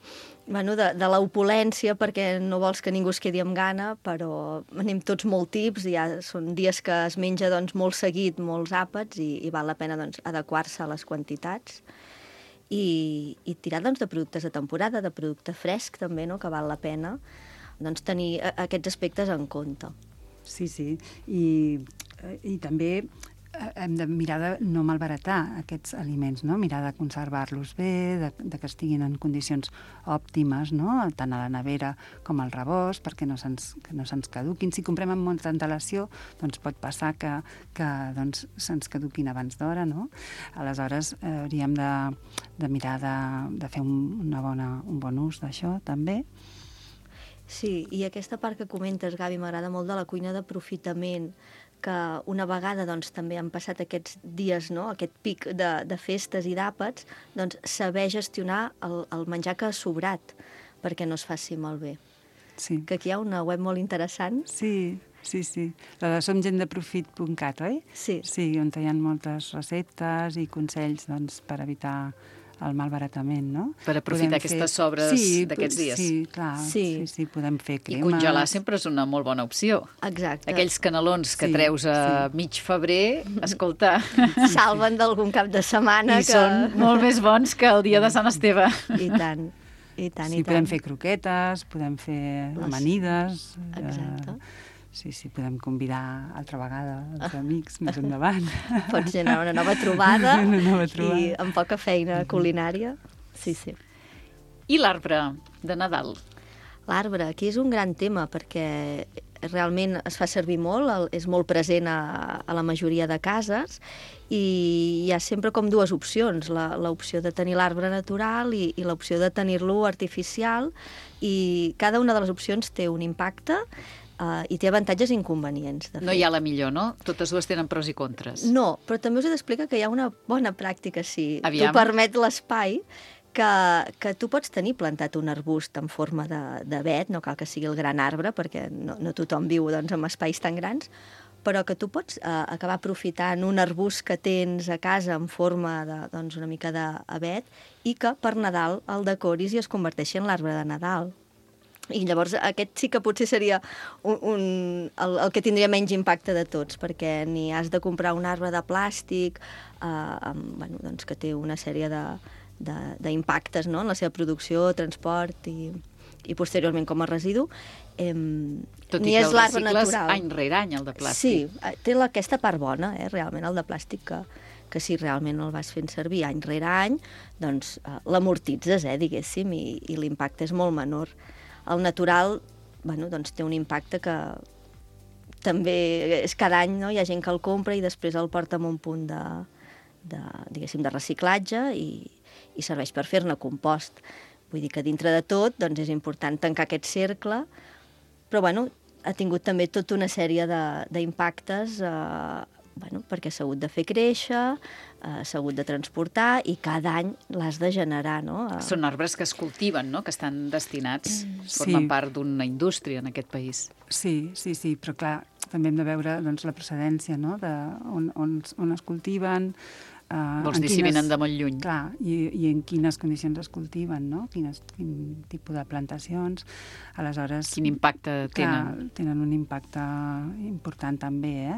l'opulència perquè no vols que ningú es quedi amb gana, però anem tots molt tips, ja són dies que es menja doncs, molt seguit, molts àpats, i val la pena doncs, adequar-se a les quantitats. I tirar doncs, de productes de temporada, de producte fresc també, no? Que val la pena doncs, tenir aquests aspectes en compte. Sí, sí. I també hem de mirar de no malbaratar aquests aliments, no? Mirar de conservar-los bé, de que estiguin en condicions òptimes, no? Tant a la nevera com al rebost, perquè no se'ns caduquin. Si comprem amb molta antelació, doncs pot passar que doncs, se'ns caduquin abans d'hora, no? Aleshores, hauríem de mirar de fer un bon ús d'això, també. Sí, i aquesta part que comentes, Gavi, m'agrada molt de la cuina d'aprofitament, que una vegada doncs, també han passat aquests dies, no? Aquest pic de festes i d'àpats, doncs saber gestionar el menjar que ha sobrat perquè no es faci malbé. Sí. Que aquí hi ha una web molt interessant. Sí. La de somgentdeprofit.cat, oi? Sí. Sí, on hi ha moltes receptes i consells doncs, per evitar el malbaratament, no? Per aprofitar aquestes sobres d'aquests dies. Sí, clar, sí, podem fer cremes. I congelar sempre és una molt bona opció. Exacte. Aquells canelons que treus a mig febrer, escolta... Salven d'algun cap de setmana. I són molt més bons que el dia de Sant Esteve. I tant. Podem fer croquetes, podem fer amanides. Exacte. Sí, podem convidar altra vegada els amics més endavant. Pots generar una nova trobada i amb poca feina culinària. Sí. I l'arbre de Nadal? L'arbre, aquí és un gran tema perquè realment es fa servir molt, és molt present a la majoria de cases i hi ha sempre com dues opcions, l'opció de tenir l'arbre natural i l'opció de tenir-lo artificial, i cada una de les opcions té un impacte i té avantatges i inconvenients. No hi ha la millor, no? Totes dues tenen pros i contres. No, però també us he d'explicar que hi ha una bona pràctica, si t'ho permet l'espai, que tu pots tenir plantat un arbust en forma d'avet, no cal que sigui el gran arbre, perquè no tothom viu en espais tan grans, però que tu pots acabar aprofitant un arbust que tens a casa en forma una mica d'avet i que per Nadal el decoris i es converteixi en l'arbre de Nadal. I llavors aquest sí que potser seria el que tindria menys impacte de tots, perquè ni has de comprar un arbre de plàstic que té una sèrie d'impactes en la seva producció, transport i posteriorment com a residu. Tot i que el recicles any rere any, el de plàstic. Sí, té aquesta part bona, realment, el de plàstic, que si realment el vas fent servir any rere any, doncs l'amortitzes, diguéssim, i l'impacte és molt menor. El natural, té un impacte que també és cada any, no? Hi ha gent que el compra i després el porta amb un punt de reciclatge i serveix per fer-ne compost. Vull dir que dintre de tot és important tancar aquest cercle, però ha tingut també tota una sèrie d'impactes perquè s'ha hagut de fer créixer, s'ha hagut de transportar i cada any l'has de generar, no? Són arbres que es cultiven, no? Que estan destinats, formen part d'una indústria en aquest país. Sí, però clar, també hem de veure la procedència, no? On es cultiven... Vols dir si venen de molt lluny. Clar, i en quines condicions es cultiven, no? Quin tipus de plantacions. Aleshores... Quin impacte tenen? Tenen un impacte important també,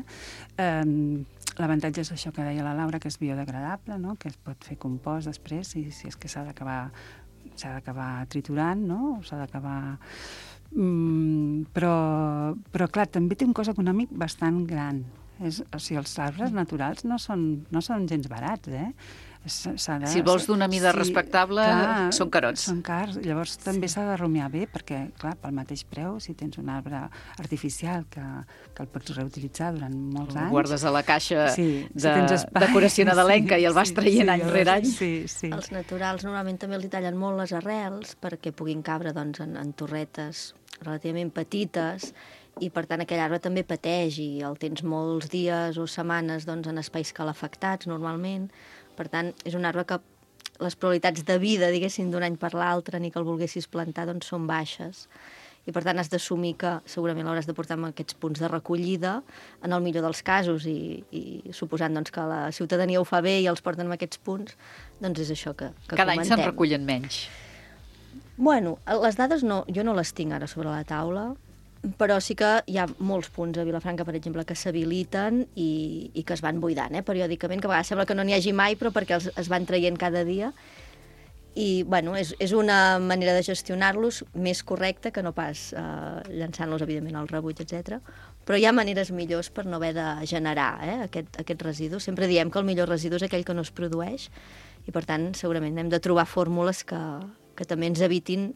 L'avantatge és això que deia la Laura, que és biodegradable, no? Que es pot fer compost després, si és que s'ha d'acabar triturant, no? S'ha d'acabar... Però, clar, també té un cost econòmic bastant gran. O sigui, els arbres naturals no són gens barats, Si vols d'una mida respectable, són carots. Són cars. Llavors també s'ha de rumiar bé, perquè, clar, pel mateix preu, si tens un arbre artificial que el pots reutilitzar durant molts anys... El guardes a la caixa de decoració nadalenca i el vas traient any rere any. Els naturals normalment també els tallen molt les arrels perquè puguin cabre en torretes relativament petites, i per tant aquell arbre també pateix i el tens molts dies o setmanes en espais calefactats normalment. Per tant, és un arbre que les probabilitats de vida, diguéssim, d'un any per l'altre, ni que el volguessis plantar, són baixes. I per tant has d'assumir que segurament l'hauràs de portar amb aquests punts de recollida, en el millor dels casos, i suposant que la ciutadania ho fa bé i els porten amb aquests punts, doncs és això que comentem. Cada any se'n recullen menys. Bueno, les dades jo no les tinc ara sobre la taula, però sí que hi ha molts punts a Vilafranca, per exemple, que s'habiliten i que es van buidant, periòdicament, que a vegades sembla que no n'hi hagi mai, però perquè es van traient cada dia. I, és una manera de gestionar-los més correcta que no pas llançant-los, evidentment, al rebuig, etc. Però hi ha maneres millors per no haver de generar aquest residu. Sempre diem que el millor residu és aquell que no es produeix i, per tant, segurament hem de trobar fórmules que també ens evitin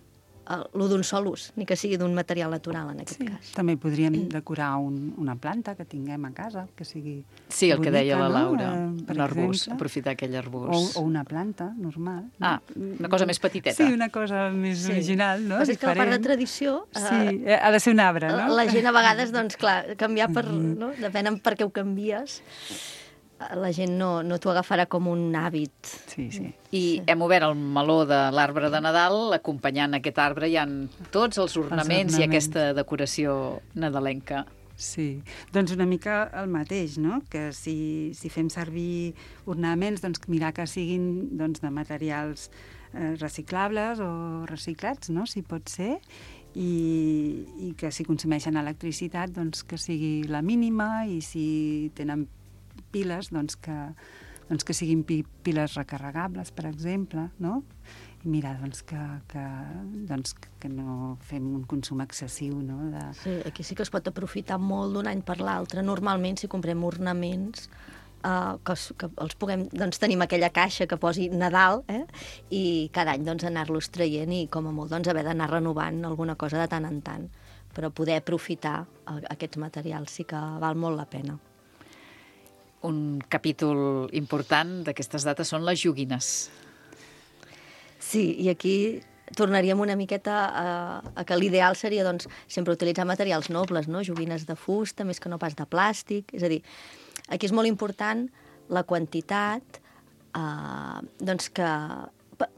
lo d'un sol ús, ni que sigui d'un material natural, en aquest cas. També podríem decorar una planta que tinguem a casa, que sigui sí, el bonica, que deia la Laura, un arbust, aprofitar aquell arbust. O una planta normal. Una cosa més petiteta. Sí, una cosa més original, no? Però és que la part de tradició... Sí, ha de ser un arbre, no? La gent a vegades, clar, canviar no? Depèn per què ho canvies. La gent no t'ho agafarà com un hàbit. Sí. I hem obert el meló de l'arbre de Nadal, acompanyant aquest arbre hi ha tots els ornaments i aquesta decoració nadalenca. Sí, doncs una mica el mateix, no? Que si fem servir ornaments, doncs mirar que siguin doncs, de materials reciclables o reciclats, no? Si pot ser, i que si consumeixen electricitat, doncs que sigui la mínima, i si tenen piles, doncs que siguin piles recarregables, per exemple, no? I mira, doncs, que no fem un consum excessiu, no? Sí, aquí sí que es pot aprofitar molt d'un any per l'altre. Normalment, si comprem ornaments, que els puguem... Doncs tenim aquella caixa que posi Nadal, i cada any doncs, anar-los traient i, com a molt, doncs, haver d'anar renovant alguna cosa de tant en tant. Però poder aprofitar aquests materials sí que val molt la pena. Un capítol important d'aquestes dates són les joguines. Sí, i aquí tornaríem una miqueta a que l'ideal seria doncs, sempre utilitzar materials nobles, no? Joguines de fusta, més que no pas de plàstic. És a dir, aquí és molt important la quantitat, doncs que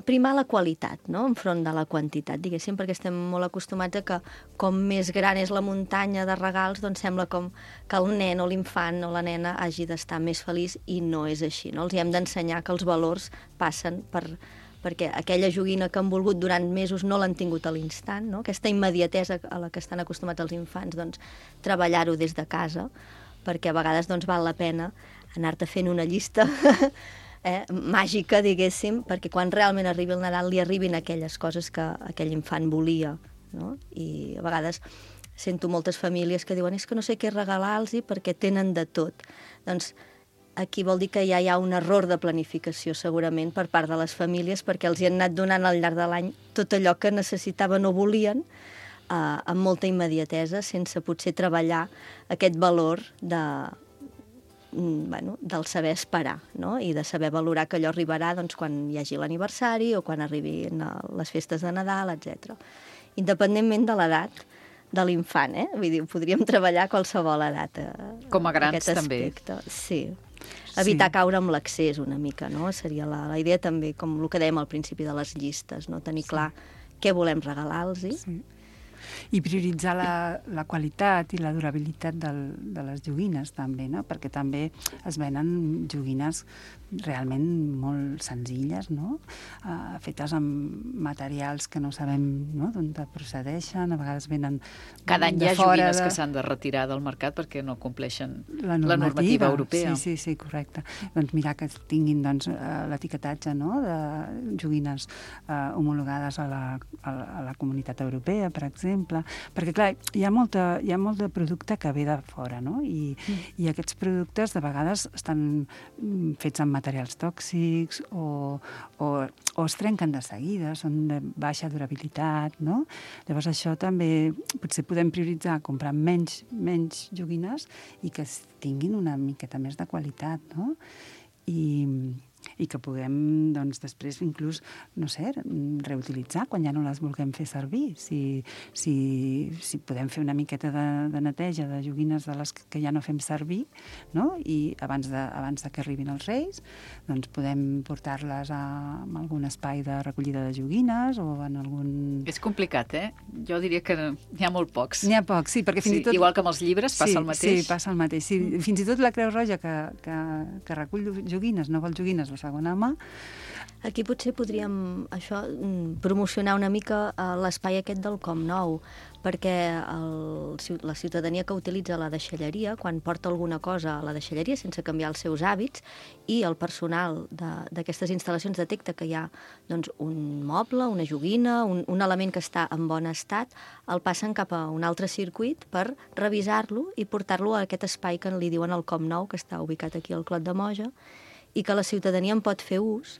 primar la qualitat, no? Enfront de la quantitat, diguéssim, perquè estem molt acostumats a que com més gran és la muntanya de regals, doncs sembla com que el nen o l'infant o la nena hagi d'estar més feliç, i no és així, no? Els hem d'ensenyar que els valors passen perquè aquella joguina que han volgut durant mesos no l'han tingut a l'instant, no? Aquesta immediatesa a la que estan acostumats els infants, doncs treballar-ho des de casa, perquè a vegades doncs, val la pena anar-te fent una llista màgica, diguéssim, perquè quan realment arribi el Nadal li arribin aquelles coses que aquell infant volia, no? I a vegades sento moltes famílies que diuen és que no sé què regalar-los perquè tenen de tot. Doncs aquí vol dir que ja hi ha un error de planificació, segurament, per part de les famílies, perquè els hi han anat donant al llarg de l'any tot allò que necessitaven o volien, amb molta immediatesa, sense potser treballar aquest valor del saber esperar, no? I de saber valorar que allò arribarà doncs, quan hi hagi l'aniversari o quan arribin les festes de Nadal, etc. Independentment de l'edat de l'infant, Vull dir, podríem treballar a qualsevol edat. Com a grans també. Sí. Evitar caure amb l'accés una mica, no? Seria la idea també, com el que dèiem al principi de les llistes, no? Tenir clar què volem regalar-los. Sí. I prioritzar la qualitat i la durabilitat de les joguines, també, no? Perquè també es venen joguines realment molt senzilles, no? Fetes amb materials que no sabem, no? D'on procedeixen, a vegades venen cada any hi ha joguines que s'han de retirar del mercat perquè no compleixen la normativa europea. Sí, correcte. Doncs mirar que tinguin l'etiquetatge, no? De joguines homologades a la Comunitat Europea, per exemple, perquè clar, hi ha molt de producte que ve de fora, no? I aquests productes de vegades estan fets amb materials tòxics o es trenquen de seguida, són de baixa durabilitat, no? Llavors això també potser podem prioritzar comprar menys joguines i que tinguin una miqueta més de qualitat, no? I que puguem, doncs, després inclús, no sé, reutilitzar quan ja no les vulguem fer servir. Si podem fer una miqueta de neteja de joguines de les que ja no fem servir, no? I abans de que arribin els Reis, doncs podem portar-les a algun espai de recollida de joguines o en algun... És complicat, Jo diria que n'hi ha molt pocs. N'hi ha pocs, sí, perquè fins i tot... Igual que amb els llibres passa el mateix. Sí, passa el mateix. Sí, fins i tot la Creu Roja que recull joguines, no vol joguines de segona mà. Aquí potser podríem promocionar una mica l'espai aquest del Com Nou, perquè la ciutadania que utilitza la deixalleria, quan porta alguna cosa a la deixalleria sense canviar els seus hàbits, i el personal d'aquestes instal·lacions detecta que hi ha doncs, un moble, una joguina, un element que està en bon estat, el passen cap a un altre circuit per revisar-lo i portar-lo a aquest espai que li diuen el Com Nou, que està ubicat aquí al Clot de Moja, i que la ciutadania en pot fer ús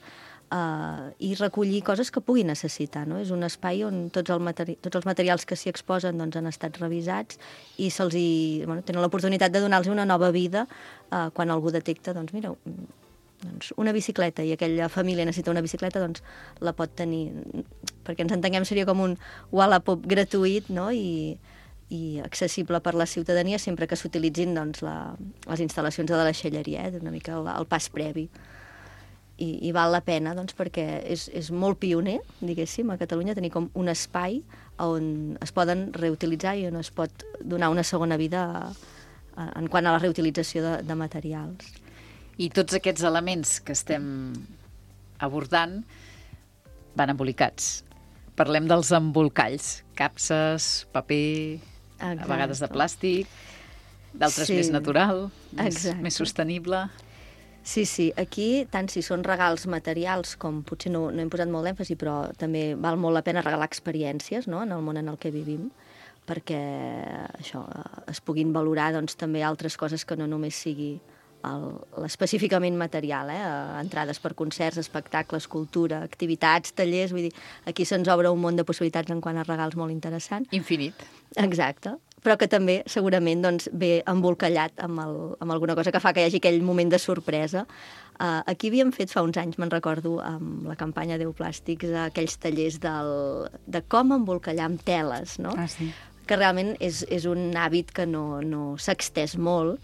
i recollir coses que pugui necessitar, no? És un espai on tots els materials que s'hi exposen doncs, han estat revisats i tenen l'oportunitat de donar-los una nova vida quan algú detecta, doncs mira, una bicicleta i aquella família necessita una bicicleta, doncs la pot tenir, perquè ens entenguem seria com un Wallapop gratuït, no? I accessible per la ciutadania sempre que s'utilitzin doncs, les instal·lacions de la deixalleria, una mica el pas previ. i val la pena, doncs, perquè és molt pioner, diguéssim, a Catalunya, tenir com un espai on es poden reutilitzar i on es pot donar una segona vida en quant a la reutilització de materials. I tots aquests elements que estem abordant van embolicats. Parlem dels embolcalls, capses, paper, a vegades de plàstic, d'altres més natural, més sostenible. Sí, aquí, tant si són regals materials, com potser no hem posat molt d'èmfasi, però també val molt la pena regalar experiències, no?, en el món en el que vivim, perquè això es puguin valorar doncs, també altres coses que no només sigui l'específicament material, entrades per concerts, espectacles, cultura, activitats, tallers, vull dir, aquí se'ns obre un món de possibilitats en quant a regals molt interessant. Infinit. Exacte. Però que també segurament doncs, ve embolcallat amb alguna cosa que fa que hi hagi aquell moment de sorpresa. Aquí havíem fet fa uns anys, me'n recordo, amb la campanya Déu Plàstics, aquells tallers de com embolcallar amb teles, no? Sí. Que realment és un hàbit que no s'ha extès molt,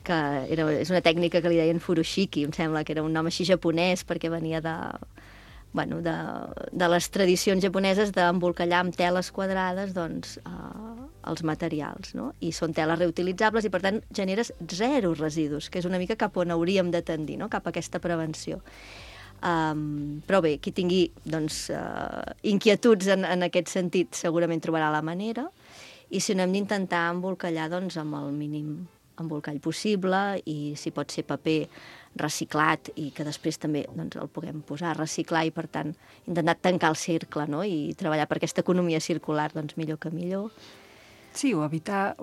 que és una tècnica que li deien furoshiki, em sembla que era un nom així japonès, perquè venia de les tradicions japoneses d'embolcallar amb teles quadrades doncs, els materials, no? I són teles reutilitzables i, per tant, generes 0 residus, que és una mica cap on hauríem de tendir, no?, cap a aquesta prevenció. Però bé, qui tingui doncs, inquietuds en aquest sentit segurament trobarà la manera, i si no hem d'intentar embolcallar doncs, amb el mínim embolcall possible, i si pot ser paper reciclat i que després també doncs, el puguem posar a reciclar i, per tant, intentar tancar el cercle, no?, i treballar per aquesta economia circular, doncs millor que millor. Sí, o evitar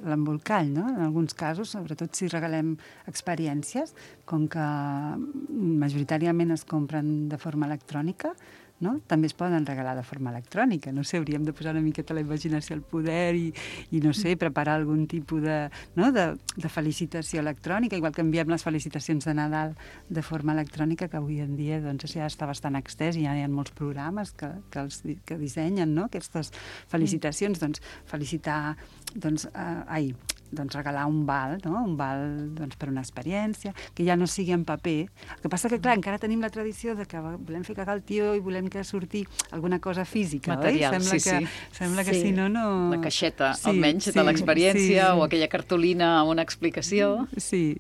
l'embolcall, no? En alguns casos, sobretot si regalem experiències, com que majoritàriament es compren de forma electrònica, no? També es poden regalar de forma electrònica. No sé, hauríem de posar una miqueta la imaginació al poder i no sé, preparar algun tipus de felicitació electrònica, igual que enviem les felicitacions de Nadal de forma electrònica, que avui en dia doncs, ja està bastant extès i ja hi ha molts programes que dissenyen, no?, aquestes felicitacions. Doncs felicitar, regalar un val, no?, un val doncs, per una experiència, que ja no sigui en paper. El que passa que, clar, encara tenim la tradició de que volem fer cagar el tio i volem que surti alguna cosa física, material, oi? Sembla que si no... La caixeta, almenys, de l'experiència, o aquella cartolina amb una explicació. Sí.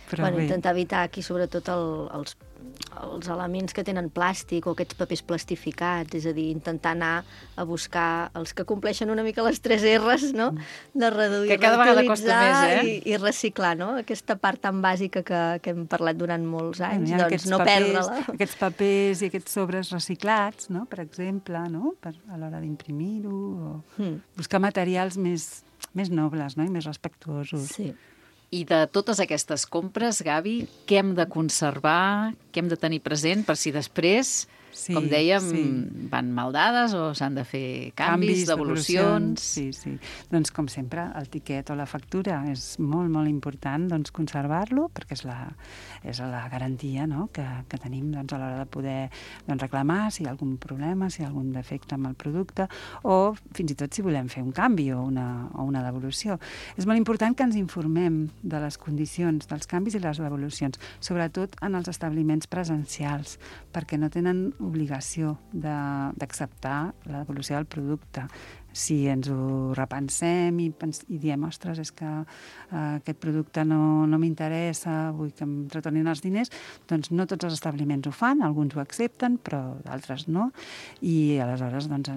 Però intentar evitar aquí, sobretot, els elements que tenen plàstic o aquests papers plastificats, és a dir, intentar anar a buscar els que compleixen una mica les 3 R's, no?, de reduir, que cada vegada costa més, i reciclar, no?, aquesta part tan bàsica que hem parlat durant molts anys, doncs no perdre-la. Aquests papers i aquests sobres reciclats, no?, per exemple, no?, a l'hora d'imprimir-ho, o buscar materials més nobles, no?, i més respectuosos. Sí. I de totes aquestes compres, Gavi, què hem de conservar, què hem de tenir present per si després, com dèiem, van mal dades o s'han de fer canvis, devolucions... Sí. Doncs, com sempre, el tiquet o la factura és molt, molt important doncs, conservar-lo, perquè és la garantia, no?, que tenim doncs, a l'hora de poder reclamar si hi ha algun problema, si hi ha algun defecte amb el producte, o fins i tot si volem fer un canvi o una devolució. És molt important que ens informem de les condicions dels canvis i les devolucions, sobretot en els establiments presencials, perquè no tenen obligació d'acceptar la devolució del producte. Si ens ho repensem i diem, ostres, és que aquest producte no m'interessa, vull que em retornin els diners, doncs no tots els establiments ho fan, alguns ho accepten, però d'altres no, i aleshores ens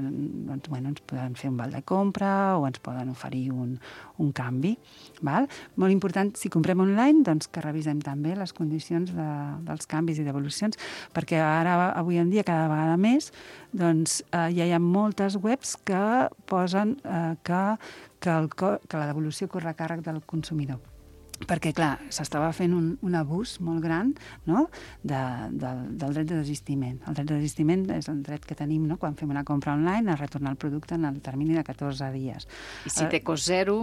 poden fer un val de compra o ens poden oferir un canvi. Val? Molt important, si comprem online, doncs que revisem també les condicions dels canvis i devolucions, perquè ara, avui en dia, cada vegada més, doncs ja hi ha moltes webs que posen que la devolució corre a càrrec del consumidor. Perquè, clar, s'estava fent un abús molt gran, no?, del dret de desistiment. El dret de desistiment és el dret que tenim, no?, quan fem una compra online, a retornar el producte en el termini de 14 dies. I si té cost zero...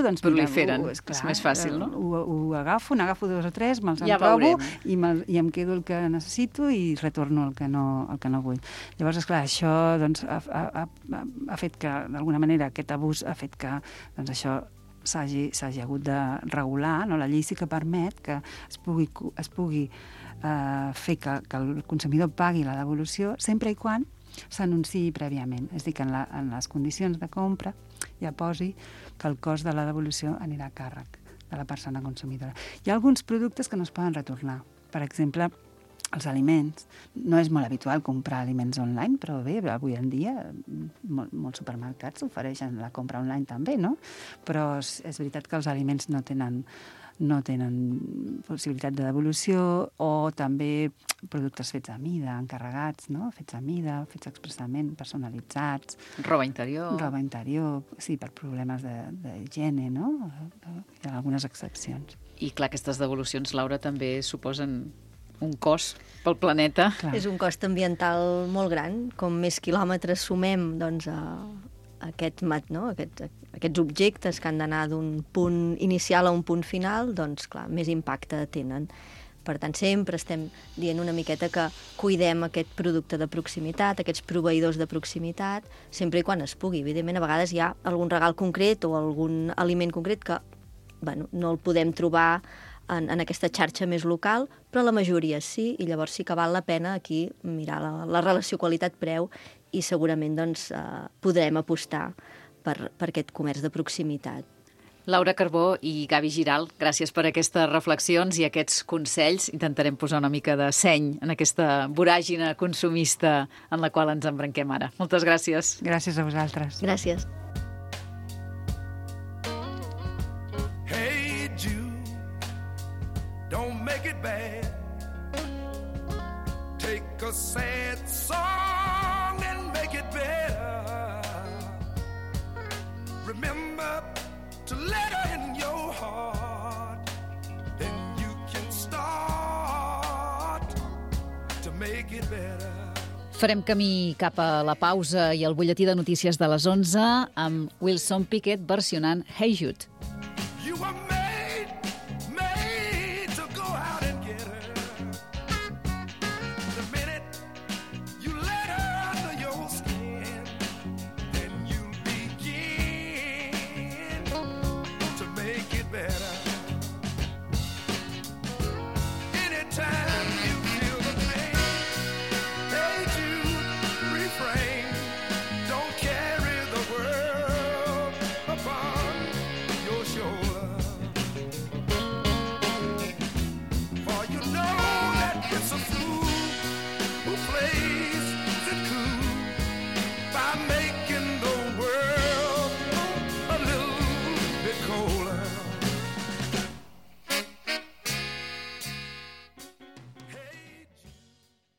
doncs... proliferen, és més fàcil, no? Ho agafo, n'agafo 2 o 3, me'ls emprovo i em quedo el que necessito i retorno el que no vull. Llavors, esclar, això doncs, ha fet que, d'alguna manera, aquest abús ha fet que doncs, això s'hagi hagut de regular, no? La llei sí que permet que es pugui fer que el consumidor pagui la devolució sempre i quan s'anunciï prèviament. És a dir, que en les condicions de compra ja posi que el cost de la devolució anirà a càrrec de la persona consumidora. Hi ha alguns productes que no es poden retornar. Per exemple, els aliments. No és molt habitual comprar aliments online, però bé, avui en dia molts supermercats ofereixen la compra online també, no? Però és veritat que els aliments no tenen possibilitat de devolució, o també productes fets a mida, encarregats, no? Fets a mida, fets expressament, personalitzats. Roba interior. Roba interior, sí, per problemes d'higiene, no? Hi ha algunes excepcions. I clar, aquestes devolucions, Laura, també suposen un cost pel planeta. Clar. És un cost ambiental molt gran. Com més quilòmetres sumem, doncs, aquests objectes que han d'anar d'un punt inicial a un punt final, doncs, clar, més impacte tenen. Per tant, sempre estem dient una miqueta que cuidem aquest producte de proximitat, aquests proveïdors de proximitat, sempre i quan es pugui. Evidentment, a vegades hi ha algun regal concret o algun aliment concret que no el podem trobar en aquesta xarxa més local, però la majoria sí, i llavors sí que val la pena aquí mirar la relació qualitat-preu i segurament doncs, podrem apostar per aquest comerç de proximitat. Laura Carbó i Gavi Giral, gràcies per aquestes reflexions i aquests consells. Intentarem posar una mica de seny en aquesta voràgina consumista en la qual ens embranquem ara. Moltes gràcies. Gràcies a vosaltres. Gràcies. A sad song and make it better. Remember to let her in your heart. Then you can start to make it better. Farem camí cap a la pausa i el butlletí de notícies de les 11 amb Wilson Pickett versionant Hey Jude. You are